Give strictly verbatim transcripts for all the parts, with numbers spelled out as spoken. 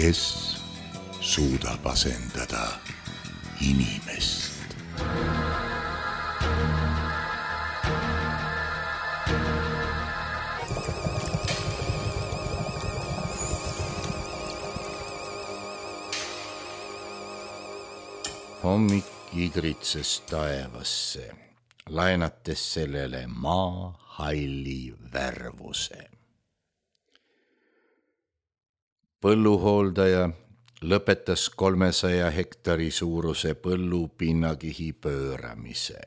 kes suudab asendada inimest. Hommik igritses taevasse, laenates sellele maa halli värvuse. Põlluhooldaja lõpetas kolmesaja hektari suuruse põllu pinnakihi pööramise.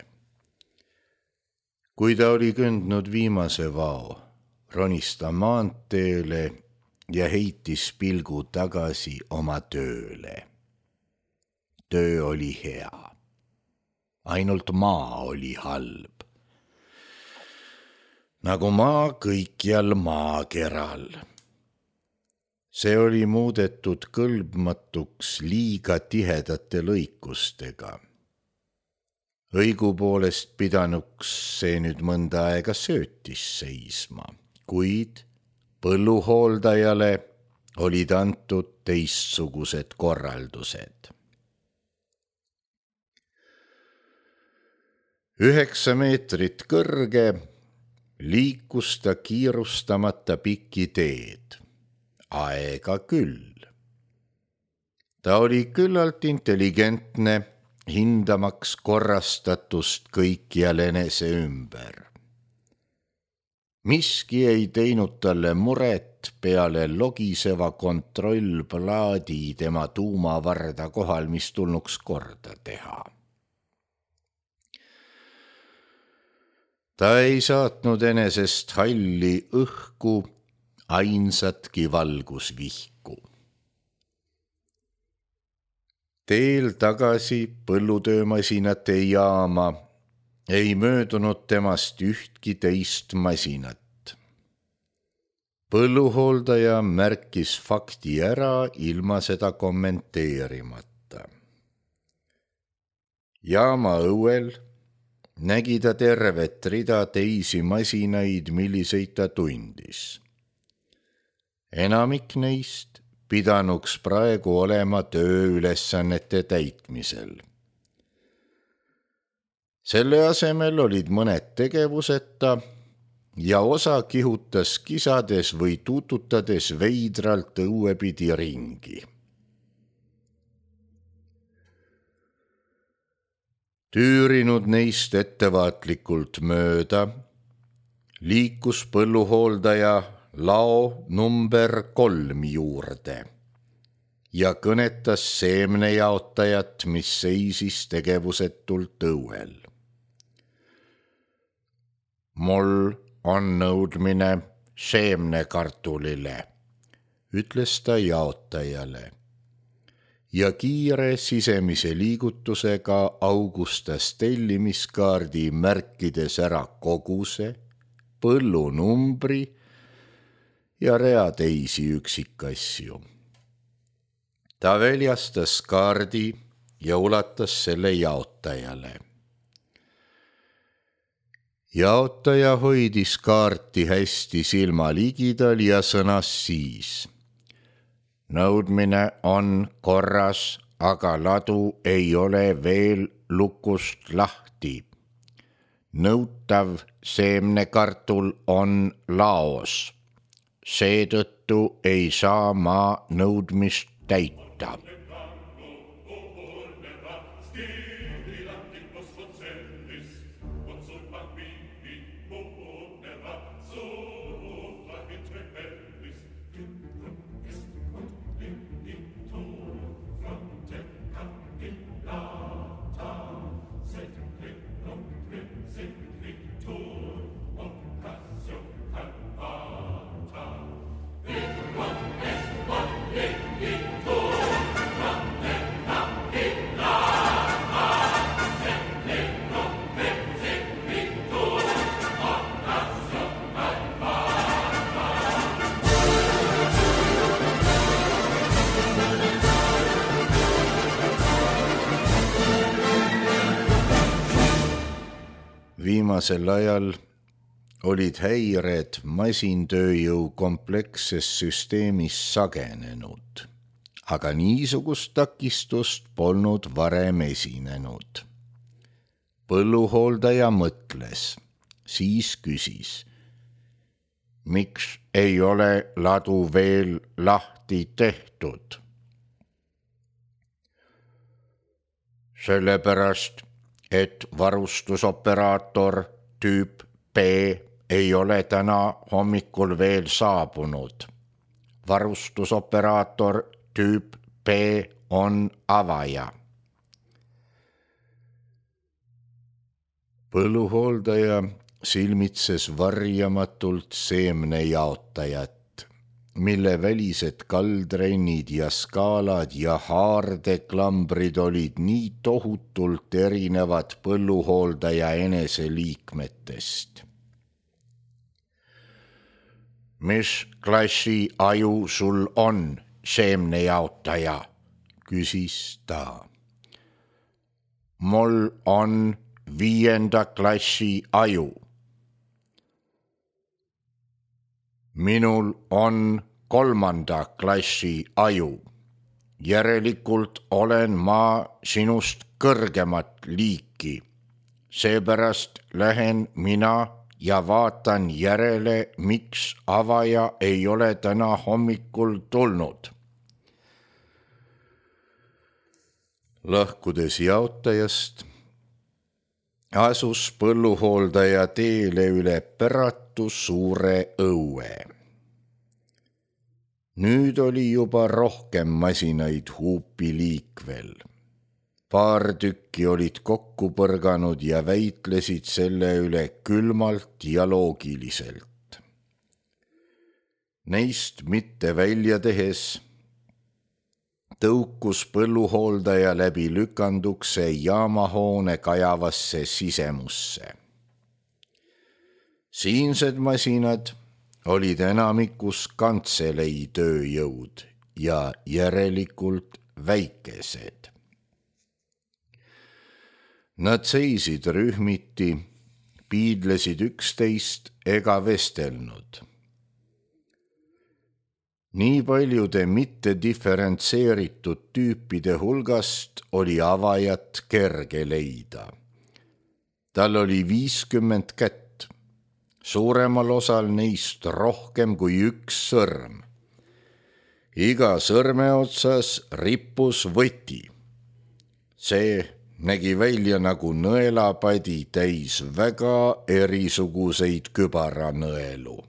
Kui ta oli kõndnud viimase vao, ronis ta maanteele ja heitis pilgu tagasi oma tööle. Töö oli hea. Ainult maa oli halb. Nagu maa kõikjal maakeral. See oli muudetud kõlbmatuks liiga tihedate lõikustega. Õigupoolest pidanuks see nüüd mõnda aega söötis seisma, kuid põlluhooldajale olid antud teistsugused korraldused. Üheksa meetrit kõrge liikus ta kiirustamata pikki teed. Aega küll. Ta oli küllalt intelligentne, hindamaks korrastatust kõikjal enese ümber. Miski ei teinud talle muret peale logiseva kontrollplaadi tema tuumavarda kohal, mis tulnuks korda teha. Ta ei saatnud enesest halli õhku ainsatki valgusvihku. Teel tagasi põllutöömasinate jaama ei möödunud temast ühtki teist masinat. Põlluhooldaja märkis fakti ära ilma seda kommenteerimata. Jaama õuel nägi ta tervet rida teisi masinaid, milliseid ta tundis. Enamik neist pidanuks praegu olema tööülesannete täitmisel. Selle asemel olid mõned tegevuseta ja osa kihutas kisades või tututades veidralt õuepidi ringi. Tüürinud neist ettevaatlikult mööda, liikus põlluhooldaja lao number kolm juurde ja kõnetas seemnejaotajat, mis seisis tegevusetult õuel. Mul on nõudmine seemnekartulile, ütles ta jaotajale. Ja kiire sisemise liigutusega augustas tellimiskaardi märkides ära koguse, põllunumbri ja rea teisi üksikasju. Ta väljastas kaardi ja ulatas selle jaotajale. Jaotaja hoidis kaarti hästi silma ligidal ja sõnas siis: nõudmine on korras, aga ladu ei ole veel lukust lahti. Nõutav seemnekartul on laos. Seetõttu ei saa ma nõudmist täita. Viimasel ajal olid häired masintööjõu kompleksses süsteemis sagenenud aga niisugust takistust polnud varem esinenud. Põlluhooldaja mõtles, siis küsis, miks ei ole ladu veel lahti tehtud? Sellepärast, et varustusoperaator tüüp B ei ole täna hommikul veel saabunud. Varustusoperaator tüüp B on avaja. Põlluhooldaja silmitses varjamatult seemnejaotajat, mille välised kaldrennid ja skaalad ja haardeklammbrid olid nii tohutult erinevad põlluhooldaja eneseliikmetest. Mis klassi aju sul on, seemnejaotaja, küsis ta. Mul on viienda klassi aju. Minul on kolmanda klassi aju. Järelikult olen ma sinust kõrgemat liiki. Seepärast lähen mina ja vaatan järele, miks avaja ei ole täna hommikul tulnud. Lahkudes jaotajast asus põlluhooldaja teele üle Päratu suure õue. Nüüd oli juba rohkem masinaid huupi liikvel. Paar tükki olid kokku põrganud ja väitlesid selle üle külmalt ja loogiliselt. Neist mitte välja tehes tõukus põlluhooldaja läbi lükandukse jaamahoone kajavasse sisemusse. Siinsed masinad olid enamikus kantselei tööjõud ja järelikult väikesed. Nad seisid rühmiti, piidlesid üksteist ega vestelnud. Nii paljude mitte diferentseeritud tüüpide hulgast oli avajat kerge leida. Tal oli viiskümmend kätt, suuremal osal neist rohkem kui üks sõrm. Iga sõrme otsas rippus võti. See nägi välja nagu nõelapadi täis väga erisuguseid kübaranõelu.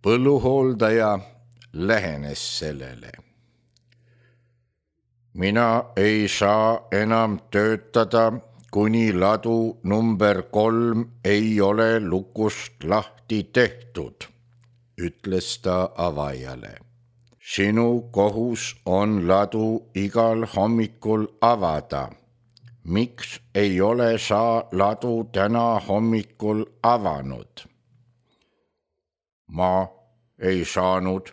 Põlluhooldaja lähenes sellele. Mina ei saa enam töötada, kuni ladu number kolm ei ole lukust lahti tehtud, ütles ta avajale. Sinu kohus on ladu igal hommikul avada. Miks ei ole sa ladu täna hommikul avanud? Ma ei saanud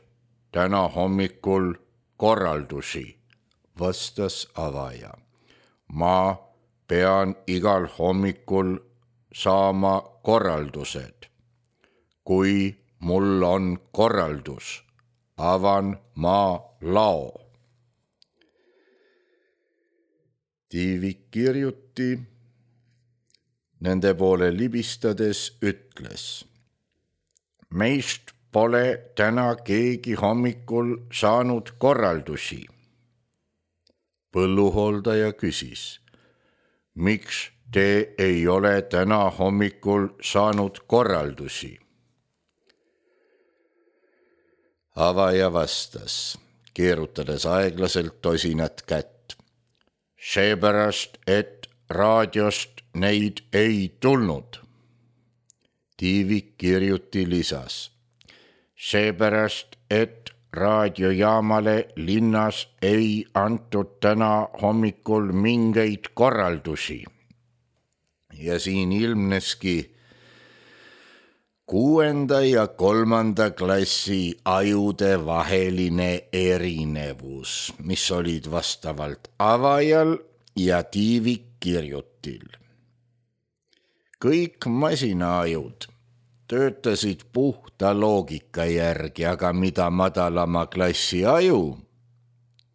täna hommikul korraldusi, vastas avaja. Ma pean igal hommikul saama korraldused. Kui mul on korraldus, avan ma lao. Tiivik kirjuti nende poole libistades ütles. Meist pole täna keegi hommikul saanud korraldusi. Põlluhooldaja küsis, miks te ei ole täna hommikul saanud korraldusi? Avaja vastas, keerutades aeglaselt tosinat kätt. Seepärast, et raadiost neid ei tulnud. Tiivik kirjuti lisas. Seepärast, et raadiojaamale linnas ei antud täna hommikul mingeid korraldusi. Ja siin ilmneski kuuenda ja kolmanda klassi ajude vaheline erinevus, mis olid vastavalt avajal ja tiivikkirjutil. Kõik masinaajud töötasid puhta loogika järgi, aga mida madalama klassi aju,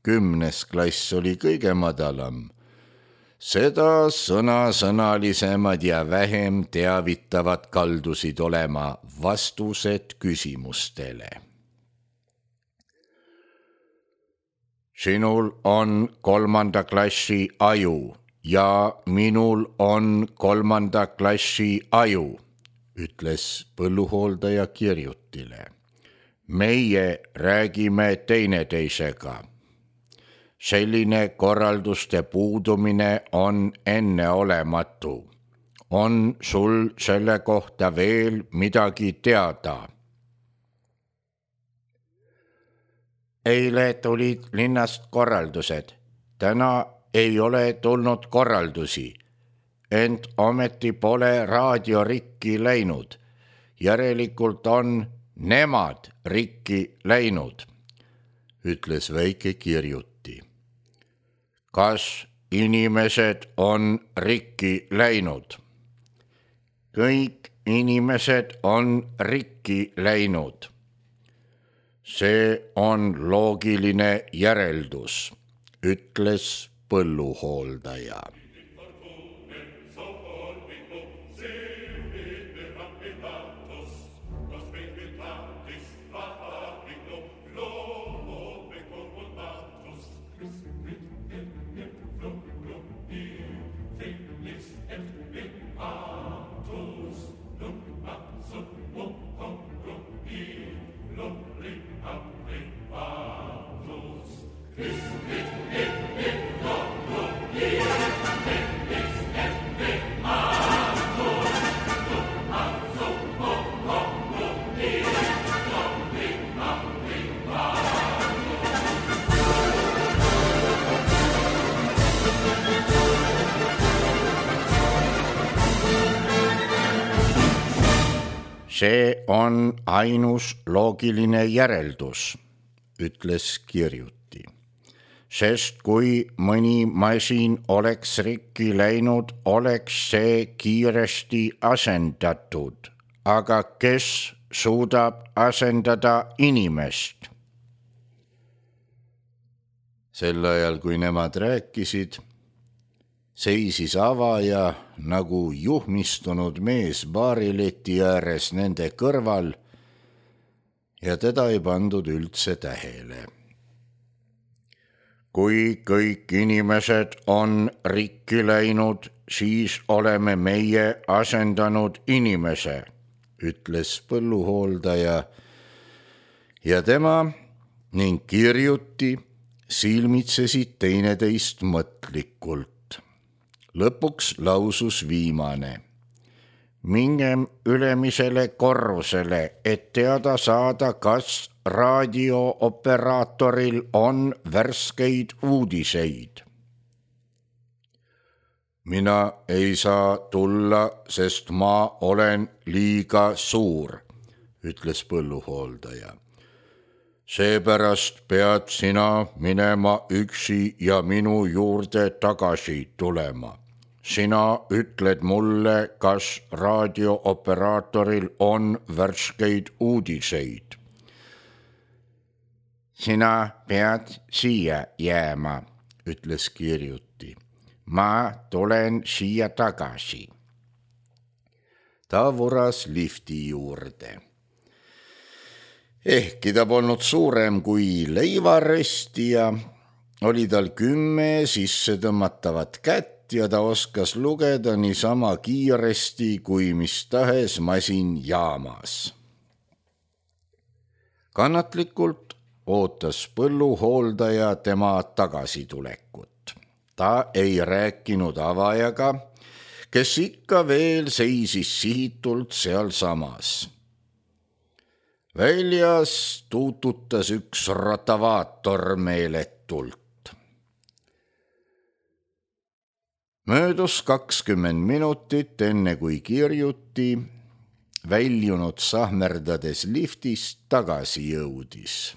kümnes klass oli kõige madalam, seda sõnasõnalisemad ja vähem teavitavad kaldusid olema vastused küsimustele. Sinul on kolmanda klassi aju ja minul on kolmanda klassi aju, ütles põlluhooldaja Kirjutile. Meie räägime teineteisega. Selline korralduste puudumine on enneolematu. On sul selle kohta veel midagi teada? Eile tulid linnast korraldused. Täna ei ole tulnud korraldusi. Ent ometi pole raadio rikki läinud. Järelikult on nemad rikki läinud, ütles väike Kirjuti. Kas inimesed on rikki läinud? Kõik inimesed on rikki läinud. See on loogiline järeldus, ütles põlluhooldaja. See on ainus loogiline järeldus, ütles Kirjuti. Sest kui mõni masin oleks rikki läinud, oleks see kiiresti asendatud. Aga kes suudab asendada inimest? Sel ajal, kui nemad rääkisid, seisis avaja nagu juhmistunud mees baarileti ääres nende kõrval ja teda ei pandud üldse tähele. Kui kõik inimesed on rikki läinud, siis oleme meie asendanud inimese, ütles põlluhooldaja ja tema ning Kirjuti silmitsesid teineteist mõtlikult. Lõpuks lausus viimane. Mingem ülemisele korrusele, et teada saada, kas raadiooperaatoril on värskeid uudiseid. Mina ei saa tulla, sest ma olen liiga suur, ütles põlluhooldaja. Seepärast pead sina minema üksi ja minu juurde tagasi tulema. Sina ütled mulle, kas raadiooperaatoril on värskeid uudiseid. Sina pead siia jääma, ütles Kirjuti. Ma tulen siia tagasi. Ta vuras lifti juurde. Ehkki ta polnud suurem kui leivarestija, oli tal kümme sisse tõmmatavat kätt ja ta oskas lugeda niisama kiiresti kui mis tahes masin jaamas. Kannatlikult ootas põlluhooldaja tema tagasitulekut. Ta ei rääkinud avajaga, kes ikka veel seisis sihitult sealsamas. Väljas tuututas üks rotavaator meeletult. Möödus kakskümmend minutit, enne kui Kirjuti, väljunud sahmerdades liftist, tagasi jõudis.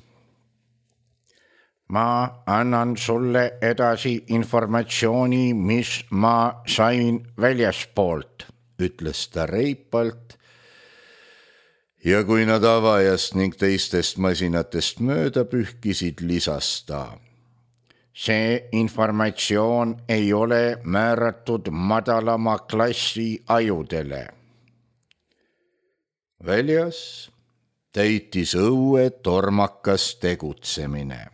Ma annan sulle edasi informatsiooni, mis ma sain väljaspoolt, ütles ta reipalt ja kui nad avajast ning teistest masinatest mööda pühkisid, lisas ta: see informatsioon ei ole määratud madalama klassi ajudele. Väljas täitis õue tormakas tegutsemine.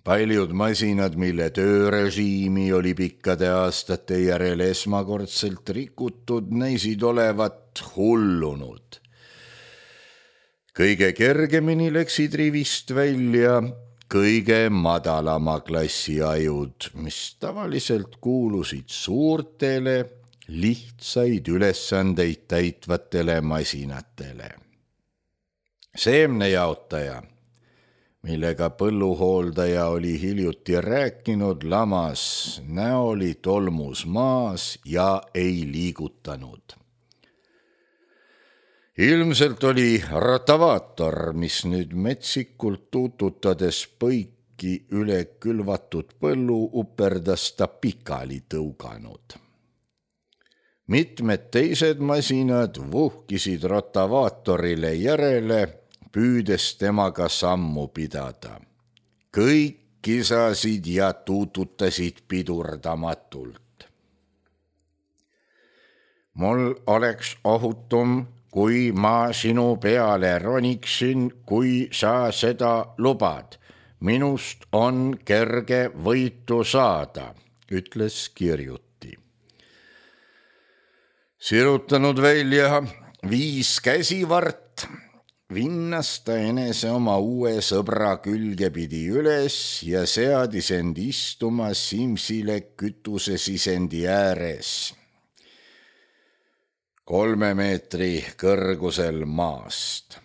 Paljud masinad, mille töörežiimi oli pikkade aastate järel esmakordselt rikutud, näisid olevat hullunud. Kõige kergemini läksid rivist välja kõige madalama klassi ajud, mis tavaliselt kuulusid suurtele, lihtsaid ülesandeid täitvatele masinatele. Seemnejaotaja, millega põlluhooldaja oli hiljuti rääkinud, lamas näoli tolmus maas ja ei liigutanud. Ilmselt oli rotavaator, mis nüüd metsikult tuututades põiki üle külvatud põllu uperdas ta pikali tõuganud. Mitmed teised masinad vuhkisid rotavaatorile järele, püüdes temaga sammu pidada. Kõik kisasid ja tuututasid pidurdamatult. Mul oleks ohutum, kui ma sinu peale roniksin, kui sa seda lubad. Minust on kerge võitu saada, ütles Kirjuti. Sirutanud välja viis käsivart, vinnas ta enese oma uue sõbra külge pidi üles ja seadis end istuma Simsile kütusesisendi ääres, kolme meetri kõrgusel maast.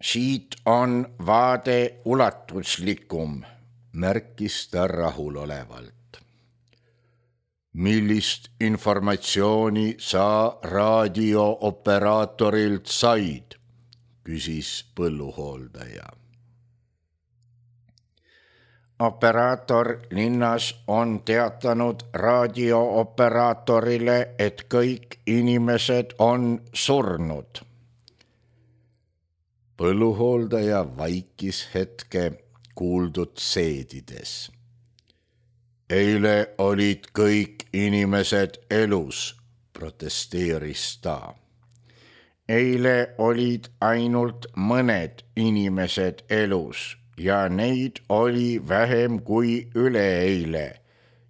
Siit on vaade ulatuslikum, märkis ta rahulolevalt. Millist informatsiooni sa raadiooperatorilt said? Küsis põlluhooldaja. Operaator linnas on teatanud raadiooperaatorile, et kõik inimesed on surnud. Põlluhooldaja vaikis hetke kuuldud seedides. Eile olid kõik inimesed elus, protesteeris ta. Eile olid ainult mõned inimesed elus ja neid oli vähem kui üleeile.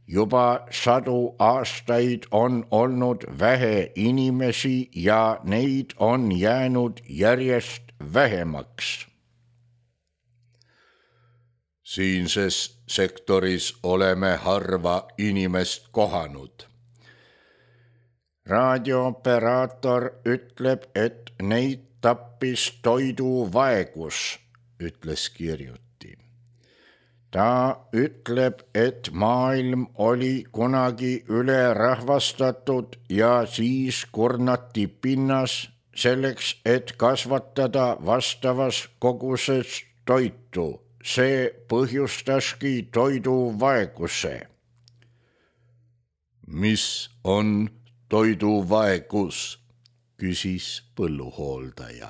Juba sadu aastaid on olnud vähe inimesi ja neid on jäänud järjest vähemaks. Siinses sektoris oleme harva inimest kohanud. Raadiooperaator ütleb, et neid tappis toiduvaegus, ütles Kirjuti. Ta ütleb, et maailm oli kunagi ülerahvastatud ja siis kurnati pinnas selleks, et kasvatada vastavas koguses toitu. See põhjustaski toiduvaeguse. Mis on toiduvaegus, küsis põlluhooldaja.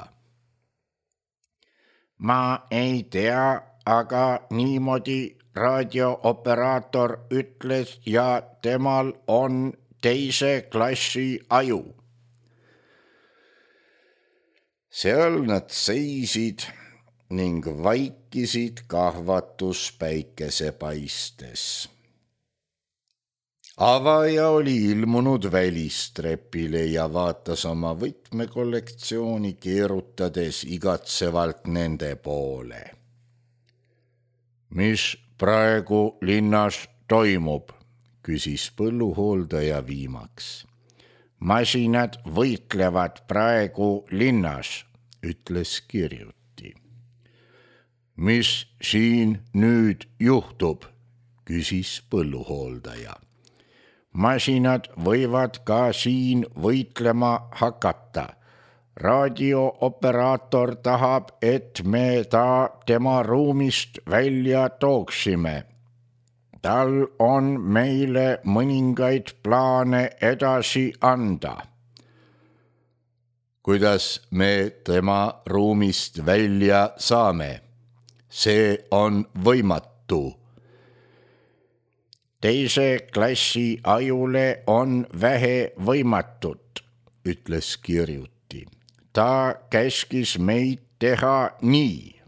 Ma ei tea, aga niimoodi raadiooperaator ütles ja temal on teise klassi aju. Seal nad seisid ning vaikisid kahvatus päikesepaistes. Avaja oli ilmunud välistrepile ja vaatas oma võtmekollektsiooni keerutades igatsevalt nende poole. Mis praegu linnas toimub, küsis põlluhooldaja viimaks. Masinad võitlevad praegu linnas, ütles Kirjuti. Mis siin nüüd juhtub, küsis põlluhooldaja. Masinad võivad ka siin võitlema hakata. Raadiooperaator tahab, et me ta tema ruumist välja tooksime. Tal on meile mõningaid plaane edasi anda. kuidas me tema ruumist välja saame? See on võimatu. Teise klassi ajule on vähe võimatut, ütles Kirjuti. Ta käskis meid teha nii.